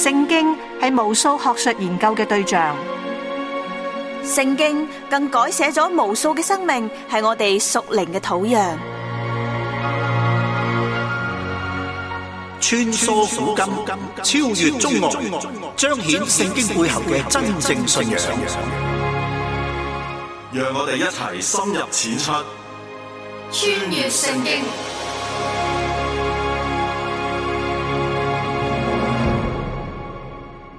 聖經係無數學術研究嘅對象，聖經更改寫咗無數嘅生命，係我哋屬靈嘅土壤。穿梭古今，超越中外，彰顯聖經背後嘅真正信仰。讓我哋一齊深入淺出，穿越聖經。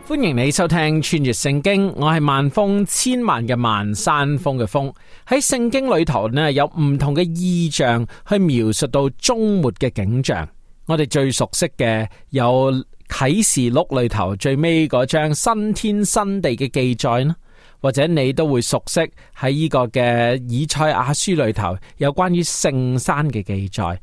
歡迎你收聽穿越聖經，我係萬峰，千萬嘅萬，山峰嘅峰。喺聖經裏頭呢，有唔同嘅意象去描述到終末嘅景象。我哋最熟悉嘅有啟示錄裏頭最尾嗰章新天新地嘅記載啦，或者你都會熟悉喺呢個嘅以賽亞書裏頭有關於聖山嘅記載。而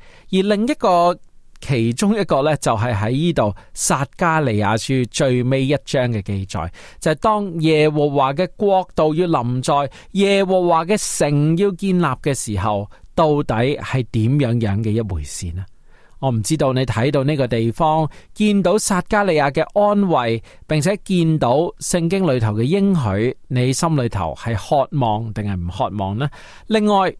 另一個其中一個呢，就係喺呢度撒迦利亞書最尾一章嘅記載，就係當耶和華嘅國度要臨在，耶和華嘅城要建立嘅時候，到底係點樣嘅一回事呢？我唔知道你睇到呢個地方，見到撒迦利亞嘅安慰，並且見到聖經裏頭嘅應許，你心裏頭係渴望定係唔渴望呢？另外，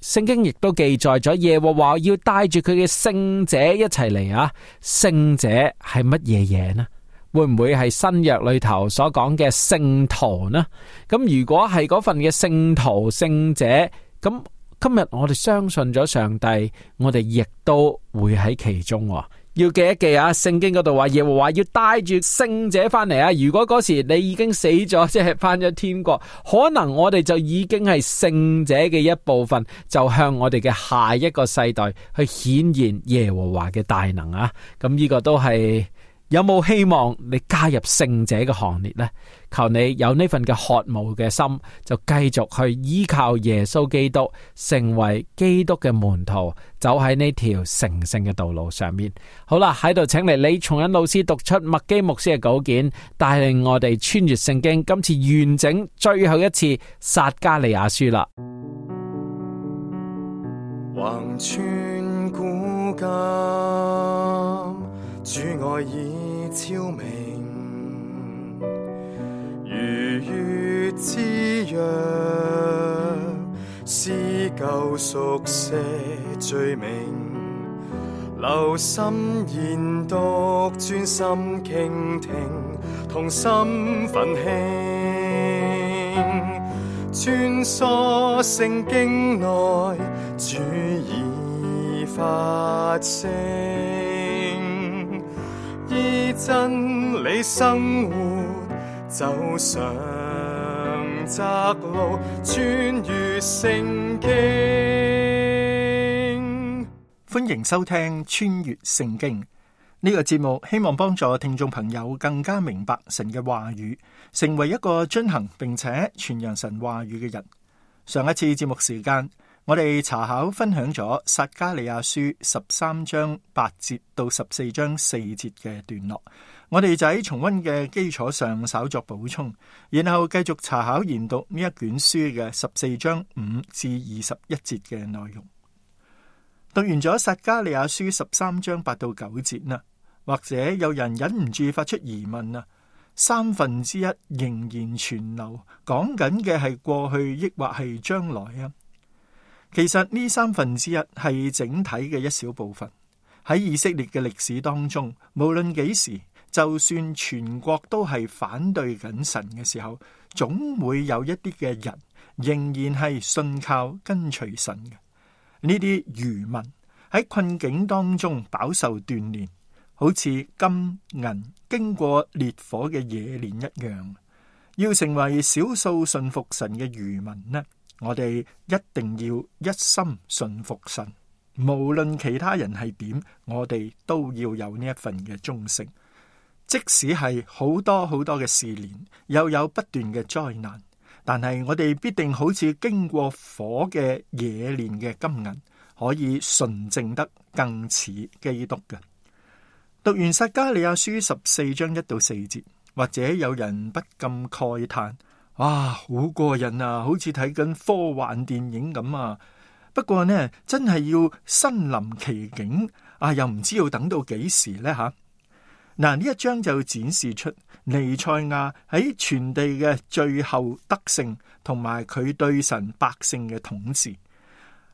聖經亦都記載咗耶和華要帶住佢嘅聖者一齊嚟啊！聖者係乜嘢嘢呢？會唔會係新約裏頭所講嘅聖徒呢？咁如果係嗰份嘅聖徒聖者，咁今日我哋相信咗上帝，我哋亦都會喺其中。要記一記啊，聖經嗰度話耶和華要帶住聖者翻嚟啊！如果嗰時你已經死咗，即係翻咗天國，可能我哋就已經係聖者嘅一部分，就向我哋嘅下一個世代去顯現耶和華嘅大能啊！咁呢個都係有冇希望你加入聖者嘅行列呢？求你有呢份嘅渴慕嘅心，就繼續去依靠耶穌基督，成為基督嘅門徒，走喺呢條成聖嘅道路上面。好啦，喺度請嚟李松恩老師讀出麥基牧師嘅稿件，帶領我哋穿越聖經，今次完整最後一次撒迦利亞書啦。橫穿古今，主愛已昭明，如月之約，撕舊熟寫罪名，留心研讀，專心傾聽，同心奮興，穿梭聖經內，主已發聲，依真理生活，走上窄路，穿越聖經。歡迎收聽穿越聖經呢個節目，希望幫助聽眾朋友更加明白神嘅話語，成為一個遵行並且傳揚神話語嘅人。上一次節目時間，我哋查考分享咗撒迦利亞書13章8節到14章4節嘅段落，我哋就喺重溫嘅基礎上稍作補充，然後繼續查考研讀呢一卷書嘅14章5至21節嘅內容。讀完咗撒迦利亞書13章8到9節啦，或者有人忍唔住發出疑問啊，三分之一仍然存留，講緊嘅係過去抑或係將來啊？其實呢三分之一係整體嘅一小部分。喺以色列嘅歷史當中，無論幾時，就算全國都係反對緊神嘅時候，總會有一啲嘅人仍然係信靠跟隨神嘅。呢啲餘民喺困境當中飽受鍛煉，好似金銀經過烈火嘅冶煉一樣。要成為少數信服神嘅餘民呢，我哋一定要一心信服神，無論其他人係點，我哋都要有呢一份嘅忠誠。即使係好多好多嘅試煉，又有不斷嘅災難，但係我哋必定好似經過火嘅冶煉嘅金銀，可以純正得更似基督嘅。讀完撒迦利亞書14章1到4節，或者有人不禁慨嘆：哇，好過癮啊，好似睇緊科幻電影咁啊！不過呢，真係要身臨其境啊，又唔知要等到幾時呢吓？嗱，呢一章就展示出彌賽亞喺全地嘅最後得勝，同埋佢對神百姓嘅統治。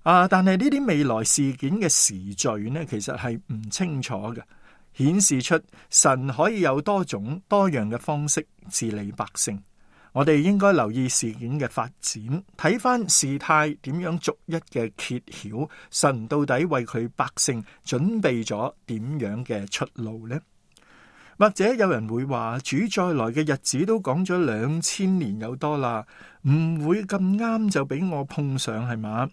但係呢啲未來事件嘅時序呢，其實係唔清楚嘅，顯示出神可以有多種多樣嘅方式治理百姓。我哋應該留意事件嘅發展，睇翻事態點樣逐一嘅揭曉，神到底為佢百姓準備咗點樣嘅出路呢？或者有人會話，主再來嘅日子都講咗2000年有多啦，唔會咁啱就俾我碰上係嘛？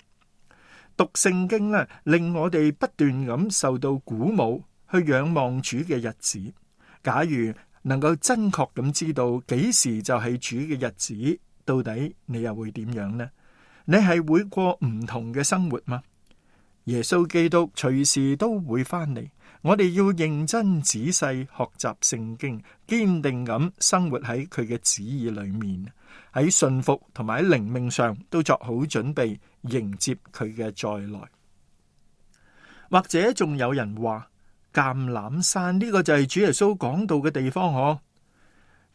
讀聖經呢，令我哋不斷咁受到鼓舞，去仰望主嘅日子。假如能夠真確咁知道幾時就係主嘅日子，到底你又會點樣呢？你係會過唔同嘅生活嗎？耶穌基督隨時都會翻嚟，我哋要認真仔細學習聖經，堅定咁生活喺佢嘅旨意裏面，喺信服同埋喺靈命上都作好準備，迎接佢嘅再來。或者仲有人話，橄欖山呢個就係主耶穌講道嘅地方嗬。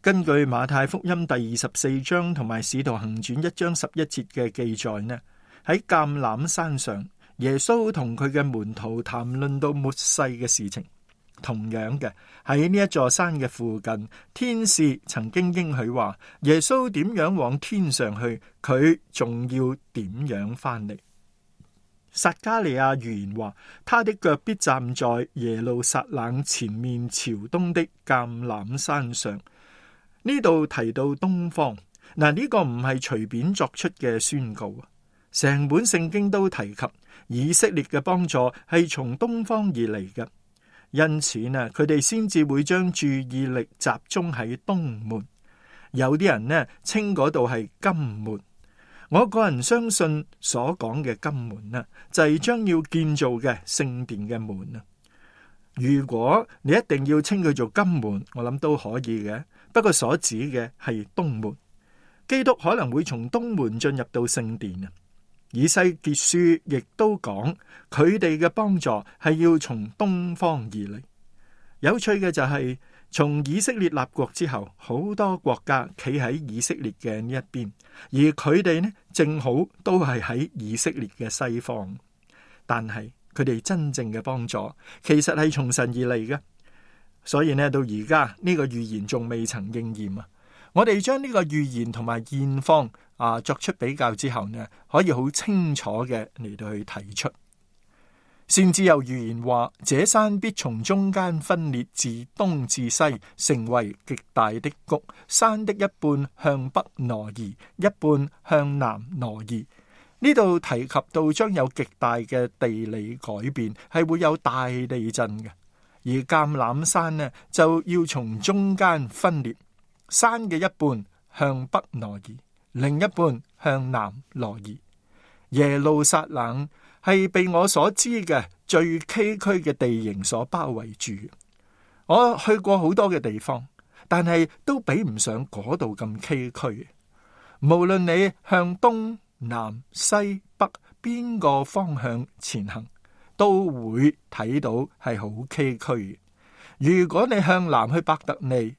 根據馬太福音第24章同埋使徒行傳1章11節嘅記載呢，喺橄欖山上，耶穌同佢嘅門徒談論到末世嘅事情。同樣嘅，喺呢一座山嘅附近，天使曾經應許話，耶穌點樣往天上去，佢仲要點樣翻嚟。撒迦利亞預言話，他的腳必站在耶路撒冷前面朝東的橄欖山上。呢度提到東方，嗱，呢個唔係隨便作出嘅宣告，成本聖經都提及以色列嘅幫助係從東方而嚟嘅，因此呢，佢哋先至會將注意力集中喺東門。有啲人呢稱嗰度係金門，我個人相信所講嘅金門呢，就係將要建造嘅聖殿嘅門啊。如果你一定要稱佢做金門，我諗都可以嘅。不過所指嘅係東門，基督可能會從東門進入到聖殿啊。以西結書亦都講佢哋嘅幫助係要從東方而嚟。有趣嘅就係，從以色列立國之後，好多國家企喺以色列嘅呢一邊，而佢哋呢正好都係喺以色列嘅西方。但係佢哋真正嘅幫助其實係從神而嚟嘅。所以呢，到而家呢個預言仲未曾應驗啊！我哋將呢個預言同埋現況作出比較之後呢，可以好清楚嘅嚟到去提出。先至有預言話，這山必從中間分裂，自東至西，成為極大的谷。山的一半向北挪移，一半向南挪移。呢度提及到將有極大嘅地理改變，係會有大地震嘅。而橄欖山呢，就要從中間分裂，山嘅一半向北挪移，另一半向南挪移。耶路撒冷係被我所知嘅最崎嶇嘅地形所包圍住。我去過好多嘅地方，但係都比唔上嗰度咁崎嶇。無論你向東南西北邊個方向前行，都會睇到係好崎嶇。如果你向南去伯特利，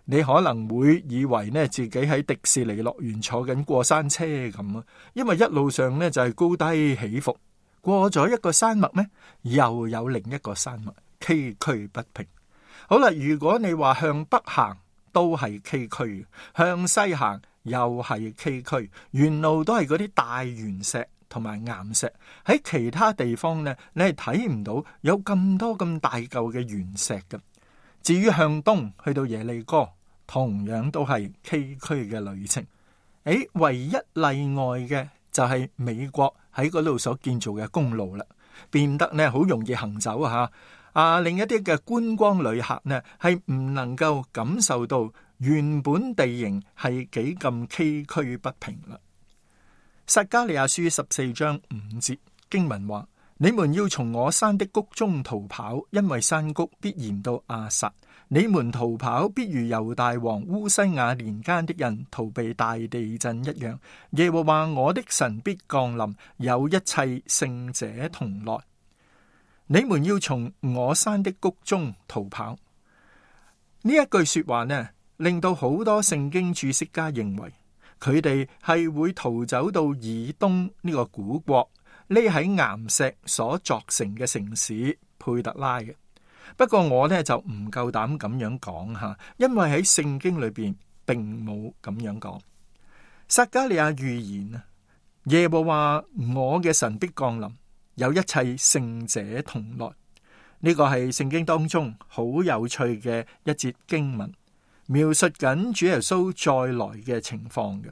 你可能會以為呢自己喺迪士尼樂園坐緊過山車咁啊，因為一路上呢就係高低起伏，過咗一個山脈呢，又有另一個山脈，崎嶇不平。好啦，如果你話向北行都係崎嶇，向西行又係崎嶇，沿路都係嗰啲大圓石同埋岩石。喺其他地方呢，你係睇唔到有咁多咁大嚿嘅圓石嘅。至於向東去到耶利哥，同樣都係崎嶇嘅旅程。唯一例外嘅就係美國喺嗰度所建造嘅公路啦，變得呢好容易行走另一啲嘅觀光旅客呢係唔能夠感受到原本地形係幾咁崎嶇不平啦。撒迦利亞書14章5節經文話：你們要從我山的谷中逃跑，因為山谷必然到亞撒。你們逃跑必如猶大王烏西雅年間的人逃避大地震一樣。耶和華我的神必降臨，有一切聖者同來。你們要從我山的谷中逃跑。呢一句說話呢，令到好多聖經注釋家認為佢哋係會逃走到以東呢個古國，匿喺岩石所鑿成嘅城市佩特拉嘅。不過我呢就唔夠膽咁樣講吓，因為喺聖經裏邊並冇咁樣講。撒迦利亞預言啊，耶和華我嘅神必降臨，有一切聖者同來。呢個係聖經當中好有趣嘅一節經文，描述緊主耶穌再來嘅情況嘅。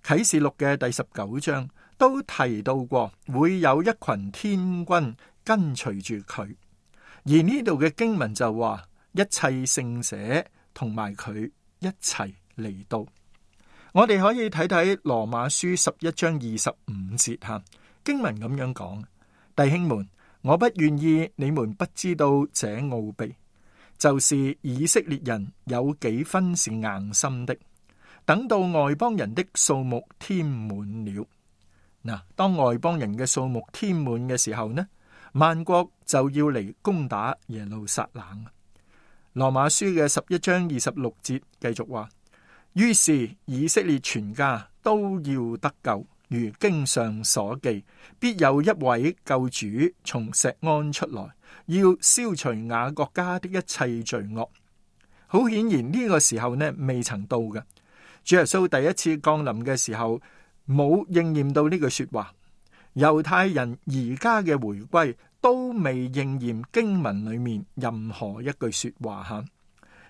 啟示錄嘅第19章都提到過，會有一群天軍跟隨住佢。而呢度嘅經文就話，一切聖者同埋佢一齊嚟到。我哋可以睇睇羅馬書11章25節吓，經文咁樣講：弟兄們，我不願意你們不知道這奧秘，就是以色列人有幾分是硬心的，等到外邦人的數目添滿了。嗱，當外邦人嘅數目添滿嘅時候呢，萬國就要嚟攻打耶路撒冷。羅馬書嘅11章26節繼續話：於是以色列全家都要得救，如經上所記，必有一位救主從錫安出來，要消除雅各家的一切罪惡。好顯然呢個時候呢未曾到嘅，主耶穌第一次降臨嘅時候冇應驗到呢句說話。猶太人而家嘅回歸都未應驗經文裏面任何一句說話吓。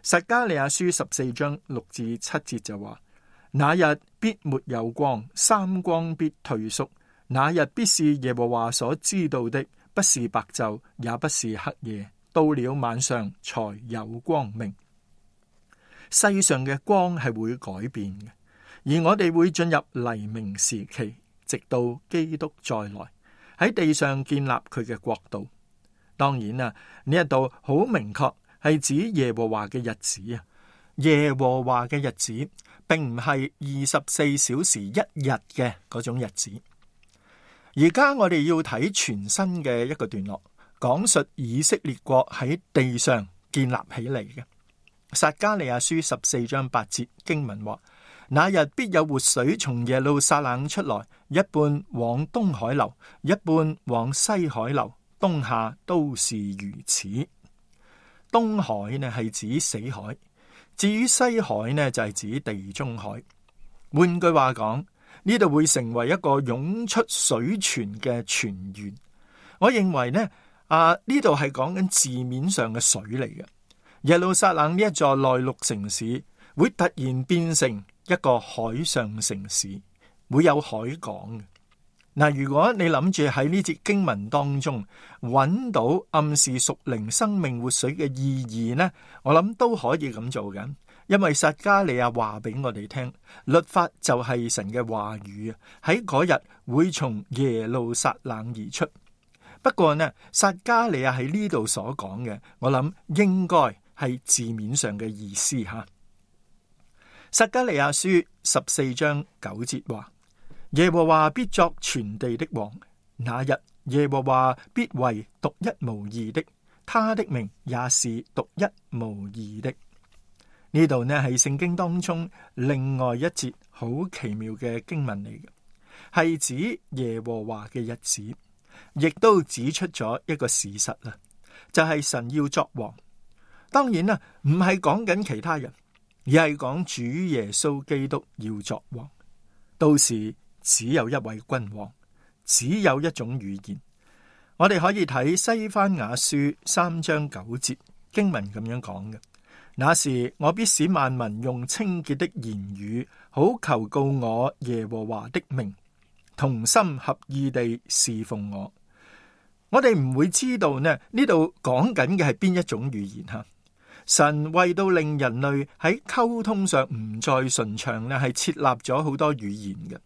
撒迦利亞書14章6至7節就話：那日必沒有光，三光必退縮，那日必是耶和華所知道的，不是白晝，也不是黑夜，到了晚上才有光明。世上嘅光係會改變嘅，而我哋會進入黎明時期，直到基督再來喺地上建立佢嘅國度。當然啦，呢一度好明確係指耶和華嘅日子啊！耶和華嘅日子並唔係24小時一日嘅嗰種日子。而家我哋要睇全新嘅一個段落，講述以色列國喺地上建立起嚟嘅。撒迦利亞書14章8節經文話：那日必有活水從耶路撒冷出來，一半往東海流，一半往西海流，冬夏都是如此。東海呢係指死海，至於西海呢就係指地中海。換句話講，呢度會成為一個湧出水泉嘅泉源。我認為呢度係講緊字面上嘅水嚟嘅。耶路撒冷呢一座內陸城市會突然變成一個海上城市，會有海港嘅。嗱，如果你諗住喺呢節經文當中揾到暗示屬靈生命活水嘅意義呢，我諗都可以咁做緊。因為撒迦利亞話俾我哋聽，律法就係神嘅話語啊，喺嗰日會從耶路撒冷而出。不過呢，撒迦利亞喺呢度所講嘅，我諗應該係字面上嘅意思吓。撒迦利亞書14章9節話：耶和華必作全地的王，那日耶和華必為獨一無二的，他的名也是獨一無二的。呢度呢係聖經當中另外一節好奇妙嘅經文嚟嘅，係指耶和華嘅日子，亦都指出咗一個事實啦，就係神要作王。當然啦，唔係講緊其他人，而係講主耶穌基督要作王。到時只有一位君王，只有一種語言。我哋可以睇西番雅書3章9節經文咁樣講嘅：那時我必使萬民用清潔的言語，好求告我耶和華的名，同心合意地侍奉我。我哋唔會知道呢度講緊嘅係邊一種語言吓。神為到令人類喺溝通上唔再順暢呢，係設立咗好多語言嘅。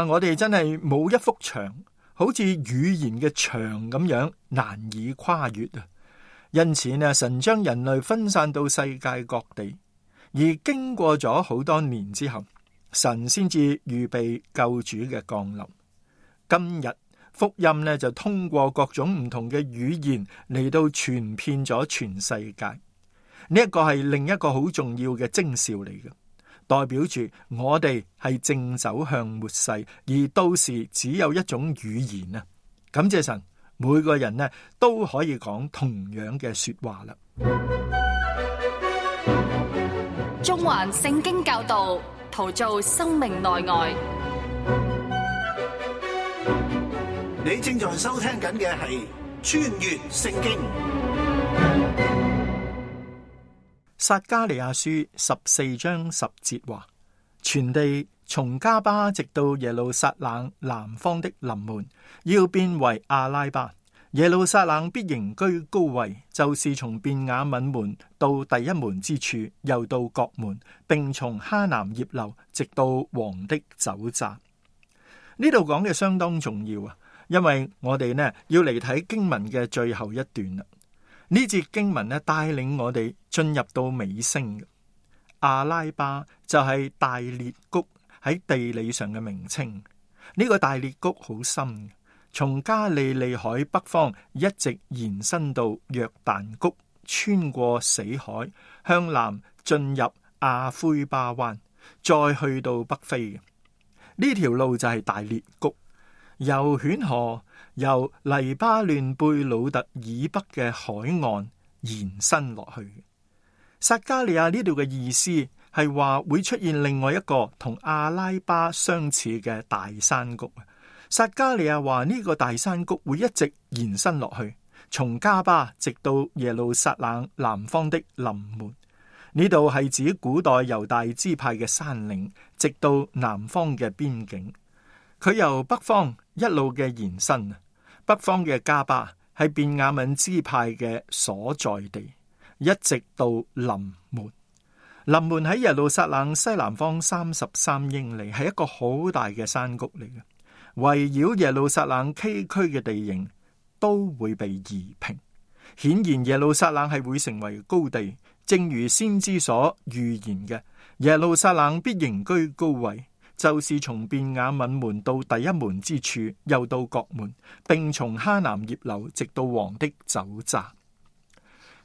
我哋真係冇一幅牆，好似語言嘅牆咁樣難以跨越啊！因此呢，神將人類分散到世界各地，而經過咗好多年之後，神先至預備救主嘅降臨。今日福音呢就通過各種唔同嘅語言嚟到傳遍咗全世界。呢一個係另一個好重要嘅徵兆嚟嘅，代表住我哋係正走向末世，而到時只有一種語言啊！感謝神，每個人呢都可以講同樣嘅說話啦。中環聖經教導，陶造生命內外。你正在收聽緊嘅係穿越聖經。撒迦利亞書14章10節話：全地從迦巴直到耶路撒冷南方的臨門，要變為阿拉巴。耶路撒冷必仍居高位，就是從便雅憫門到第一門之處，又到角門，並從哈南葉樓直到王的酒醡。呢度講嘅相當重要啊，因為我哋呢要嚟睇經文嘅最後一段啦。呢節經文呢帶領我哋進入到尾聲嘅。阿拉巴就係大裂谷喺地理上嘅名稱。呢個大裂谷好深，從加利利海北方一直延伸到約旦谷，穿過死海，向南進入亞灰巴灣，再去到北非嘅。呢條路就係大裂谷，由犬河由黎巴嫩貝魯特以北嘅海岸延伸落去。撒迦利亞呢度嘅意思係話會出現另外一個同阿拉巴相似嘅大山谷。撒迦利亞話呢個大山谷會一直延伸落去，從迦巴直到耶路撒冷南方的臨門。呢度係指古代猶大支派嘅山嶺，直到南方嘅邊境。佢由北方一路嘅延伸，北方嘅迦巴係便雅憫支派嘅所在地，一直到臨門。臨門喺耶路撒冷西南方33英里，係一個好大嘅山谷嚟嘅。圍繞耶路撒冷崎嶇嘅地形都會被夷平，顯然耶路撒冷係會成為高地，正如先知所預言嘅，耶路撒冷必仍居高位，就是從便雅憫門到第一門之處，又到角門，並從哈南葉樓直到王的酒醡。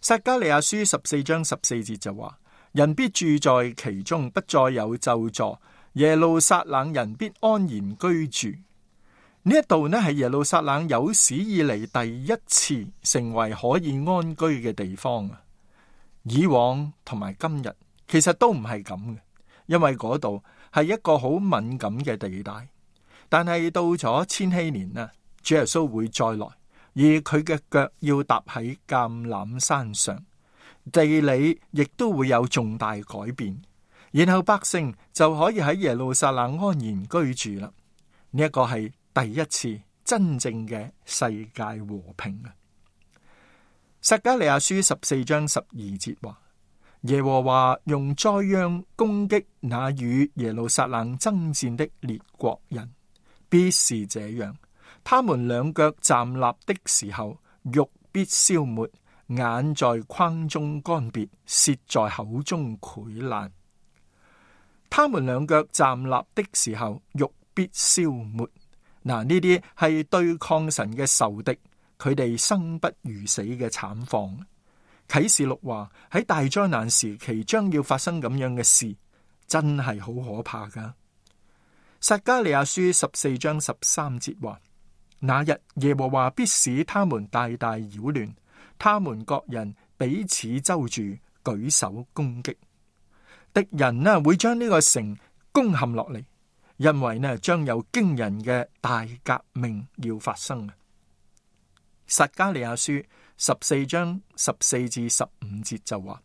撒迦利亞書14章14節就話：人必住在其中，不再有咒詛，耶路撒冷人必安然居住。呢一度呢係耶路撒冷有史以嚟第一次成為可以安居嘅地方啊！以往同埋今日其實都唔係咁嘅，因為嗰度係一個好敏感嘅地帶。但係到咗千禧年呢，主耶穌會再來，而佢嘅腳要踏喺橄欖山上，地理亦都會有重大改變，然後百姓就可以喺耶路撒冷安然居住啦。呢一個係第一次真正嘅世界和平啊！撒迦利亞書14章12節話：耶和華用災殃攻擊那與耶路撒冷爭戰的列國人，必是這樣。他們兩腳站立的時候，肉必消沒，眼在框中乾癟，舌在口中潰爛。他們兩腳站立的時候，肉必消沒。嗱，呢啲係對抗神嘅仇敵，佢哋生不如死嘅慘況。啟示錄話喺大災難時期將要發生咁樣嘅事，真係好可怕噶。撒迦利亞書14章13節話：那日耶和華必使他們大大擾亂，他們各人彼此周住，舉手攻擊。敵人呢會將呢個城攻陷落嚟。因為呢，將有驚人嘅大革命要發生。撒迦利亞書14章14至15節就話：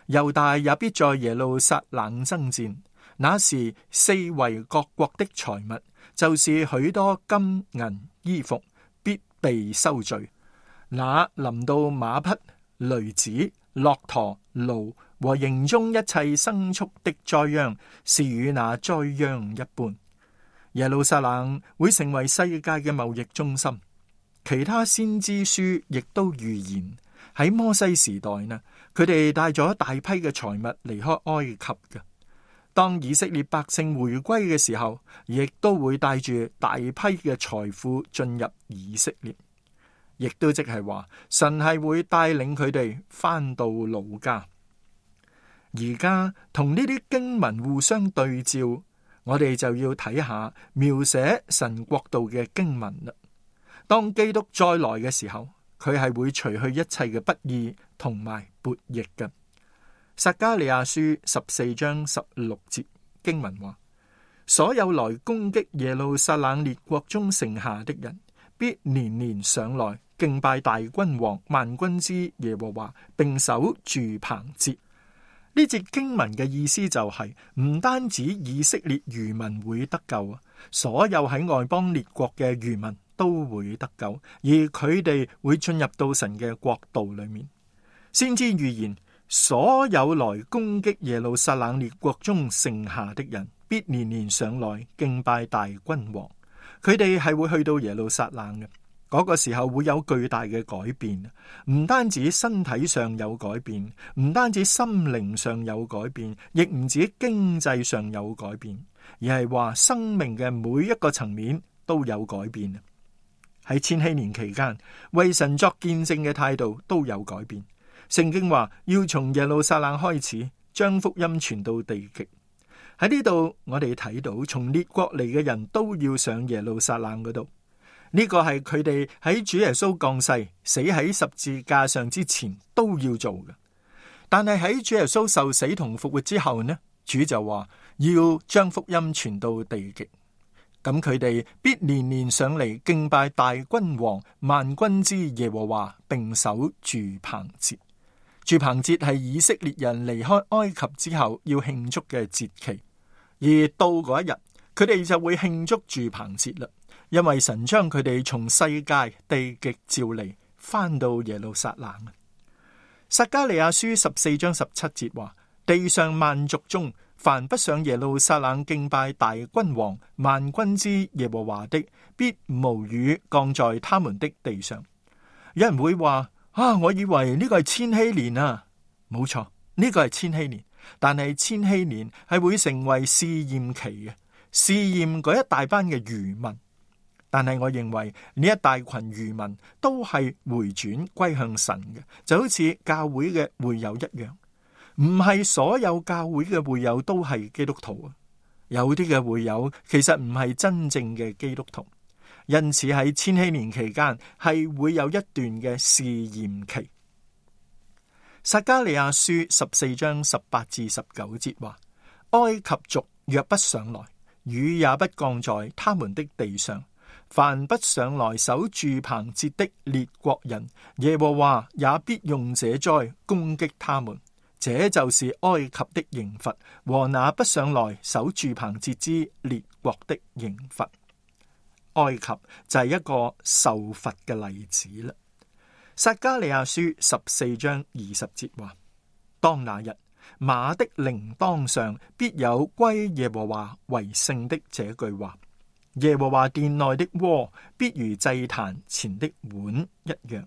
猶大也必在耶路撒冷爭戰，那時四圍各國的財物，就是許多金銀衣服，必被收聚。那臨到馬匹、驢子、駱駝、驢和營中一切牲畜的災殃，是與那災殃一般。耶路撒冷會成為世界嘅貿易中心。其他先知書亦都預言喺摩西時代呢，佢哋帶咗大批嘅財物離開埃及嘅。當以色列百姓回歸嘅時候，亦都會帶住大批嘅財富進入以色列，亦都即係話神係會帶領佢哋翻到老家。而家同呢啲經文互相對照，我哋就要睇下描寫神國度嘅經文啦。當基督再來嘅時候，佢係會除去一切嘅不義同埋悖逆嘅。撒迦利亞書14章16節經文話：所有來攻擊耶路撒冷列國中剩下的人，必年年上來敬拜大君王萬軍之耶和華，並守住棚節。呢節經文嘅意思就係，唔單止以色列餘民會得救，所有喺外邦列國嘅餘民都會得救，而佢哋會進入到神嘅國度裏面。先知預言，所有來攻擊耶路撒冷列國中剩下的人，必年年上來敬拜大君王。佢哋係會去到耶路撒冷嘅。嗰個時候會有巨大嘅改變，唔單止身體上有改變，唔單止心靈上有改變，亦唔止經濟上有改變，而係話生命嘅每一個層面都有改變。喺千禧年期間，為神作見證嘅態度都有改變。聖經話要從耶路撒冷開始，將福音傳到地極。喺呢度我哋睇到，從列國嚟嘅人都要上耶路撒冷嗰度。呢個係佢哋喺主耶穌降世、死喺十字架上之前都要做嘅。但係喺主耶穌受死同復活之後呢，主就話要將福音傳到地極。咁佢哋必年年上嚟敬拜大君王萬軍之耶和華，並守住棚節。住棚節係以色列人離開埃及之後要慶祝嘅節期，而到嗰一日，佢哋就會慶祝住棚節啦。因為神將佢哋從世界地極召嚟，翻到耶路撒冷。撒迦利亞書14章17節話：地上萬族中，凡不上耶路撒冷敬拜大君王萬軍之耶和華的，必無雨降在他們的地上。有人會話：我以為呢個係千禧年啊。冇錯，呢個係千禧年，但係千禧年係會成為試驗期嘅，試驗嗰一大班嘅餘民。但係我認為呢一大群餘民都係回轉歸向神嘅，就好似教會嘅會友一樣。唔係所有教會嘅會友都係基督徒啊，有啲嘅會友其實唔係真正嘅基督徒，因此喺千禧年期間係會有一段嘅試驗期。撒迦利亞書14章18至19節話：埃及族若不上來，雨也不降在他們的地上。凡不上來守住棚節的列國人，耶和華也必用這災攻擊他們。這就是埃及的刑罰，和那不上來守住棚節之列國的刑罰。埃及就係一個受罰嘅例子啦。撒迦利亞書14章20節話：當那日，馬的鈴鐺上必有歸耶和華為聖的這句話。耶和華殿內的鍋必如祭壇前的碗一樣。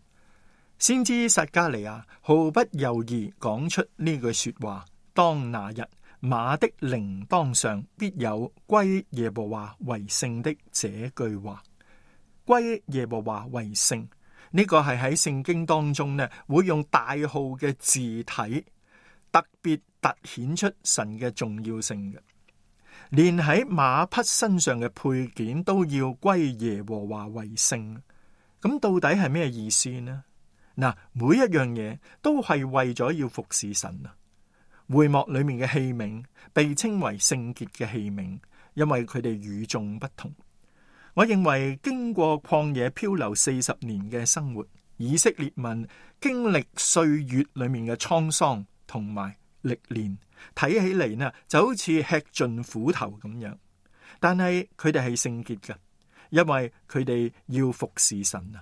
先知撒迦利亞毫不猶豫講出呢句說話：當那日，馬的鈴鐺上必有歸耶和華為聖的這句話。歸耶和華為聖，呢個係喺聖經當中呢，會用大號嘅字體特別凸顯出神嘅重要性嘅。連喺馬匹身上嘅配件都要歸耶和華為聖，咁到底係咩意思呢？嗱，每一樣嘢都係為咗要服侍神啊。會幕裏面嘅器皿被稱為聖潔嘅器皿，因為佢哋與眾不同。我認為經過曠野漂流40年嘅生活，以色列民經歷歲月裏面嘅滄桑同埋歷練，睇起嚟呢就好似吃盡苦頭咁樣，但係佢哋係聖潔嘅，因為佢哋要服侍神啊。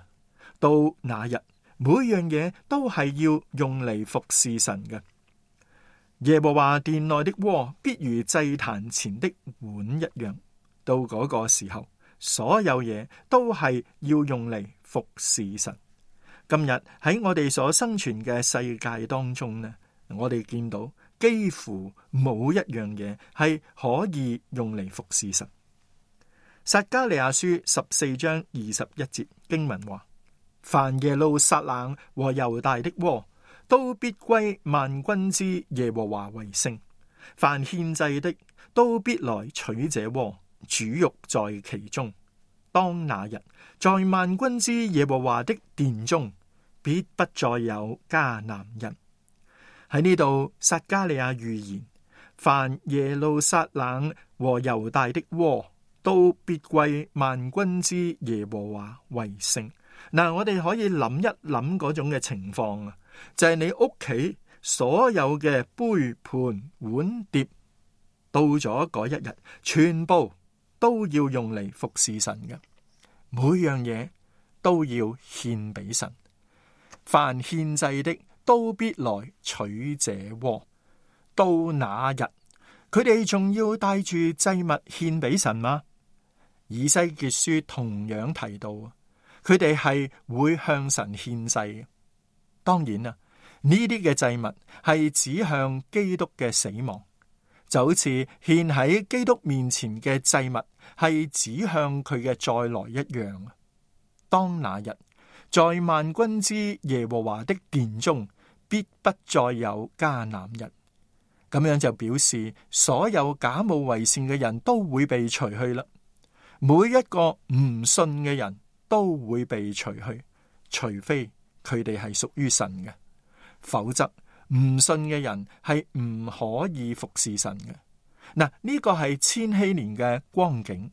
到那日，每樣嘢都係要用嚟服侍神嘅。耶和華殿內的鍋必如祭壇前的碗一樣。到嗰個時候，所有嘢都係要用嚟服侍神。今日喺我哋所生存嘅世界當中呢，我哋見到幾乎冇一樣嘢係可以用嚟服侍神。撒迦利亞書14章21節經文話：凡耶路撒冷和猶大的鍋，都必歸萬軍之耶和華為聖。凡獻祭的都必來取這鍋，煮肉在其中。當那日，在萬軍之耶和華的殿中，必不再有迦南人。喺呢度，撒迦利亞預言，凡耶路撒冷和猶大的鍋，都必歸萬軍之耶和華為聖。嗱，我哋可以諗一諗嗰種嘅情況啊，就係你屋企所有嘅杯盤碗碟，到咗嗰一日，全部都要用嚟服侍神嘅，每樣嘢都要獻俾神。凡獻祭的都必來取這鍋。到那日，佢哋仲要帶住祭物獻俾神嗎？以西結書同樣提到，佢哋係會向神獻祭嘅。當然啦，呢啲嘅祭物係指向基督嘅死亡，就好似獻喺基督面前嘅祭物係指向佢嘅再來一樣。當那日，在萬軍之耶和華的殿中，必不再有迦南人。咁樣就表示所有假冒為善嘅人都會被除去啦。每一個唔信嘅人都會被除去，除非佢哋係屬於神嘅，否則唔信嘅人係唔可以服侍神嘅。嗱，呢個係千禧年嘅光景，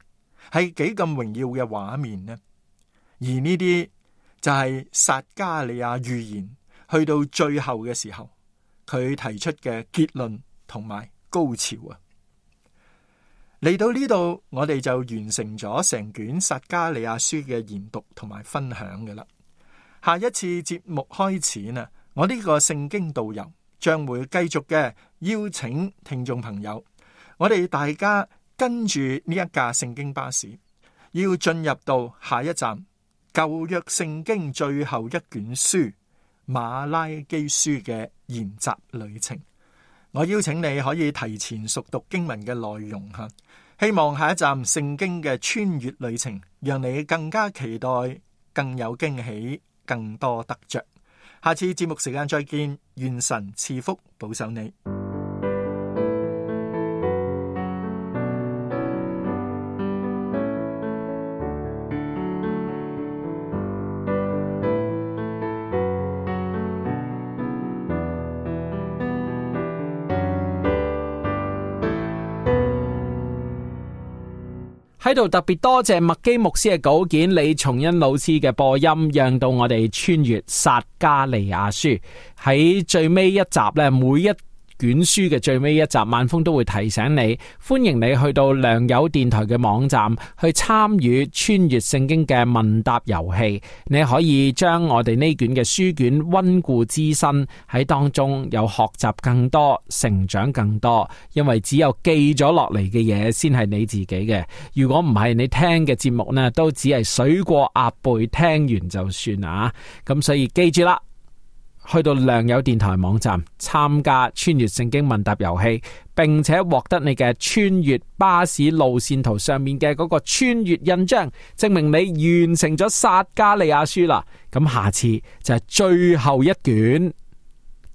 係幾咁榮耀嘅畫面呢？而呢啲就係撒迦利亞預言去到最後嘅時候，佢提出嘅結論同埋高潮啊！嚟到呢度，我哋就完成咗成卷撒迦利亞書嘅研讀同埋分享嘅啦。下一次節目開始呢，我呢個聖經導遊將會繼續嘅邀請聽眾朋友，我哋大家跟住呢一架聖經巴士，要進入到下一站舊約聖經最後一卷書馬拉基書嘅研習旅程。我邀請你可以提前熟讀經文嘅內容吓，希望下一站聖經嘅穿越旅程，讓你更加期待，更有驚喜，更多得着。下次節目時間再見，願神賜福保守你。喺度特別多謝麥基牧師嘅稿件，李松恩老師嘅播音，讓到我哋穿越撒迦利亞書。喺最尾一集咧，每一卷書嘅最尾一集，萬峰都會提醒你，歡迎你去到良友電台嘅網站去參與穿越聖經嘅問答遊戲。你可以將我哋呢卷嘅書卷溫故知新，喺當中有學習更多，成長更多。因為只有記咗落嚟嘅嘢先係你自己嘅，如果唔係，你聽嘅節目呢都只係水過鴨背，聽完就算啊。咁所以記住啦，去到良友電台網站參加穿越聖經問答遊戲，並且獲得你嘅穿越巴士路線圖上面嘅嗰個穿越印章，證明你完成咗撒迦利亞書啦。咁下次就係最後一卷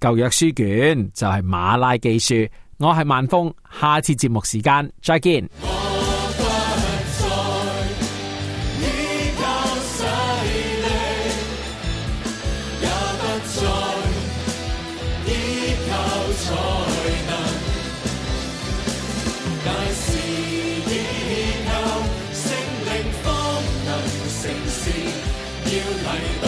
舊約書卷，就係馬拉基書。我係萬峰，下次節目時間再見。要提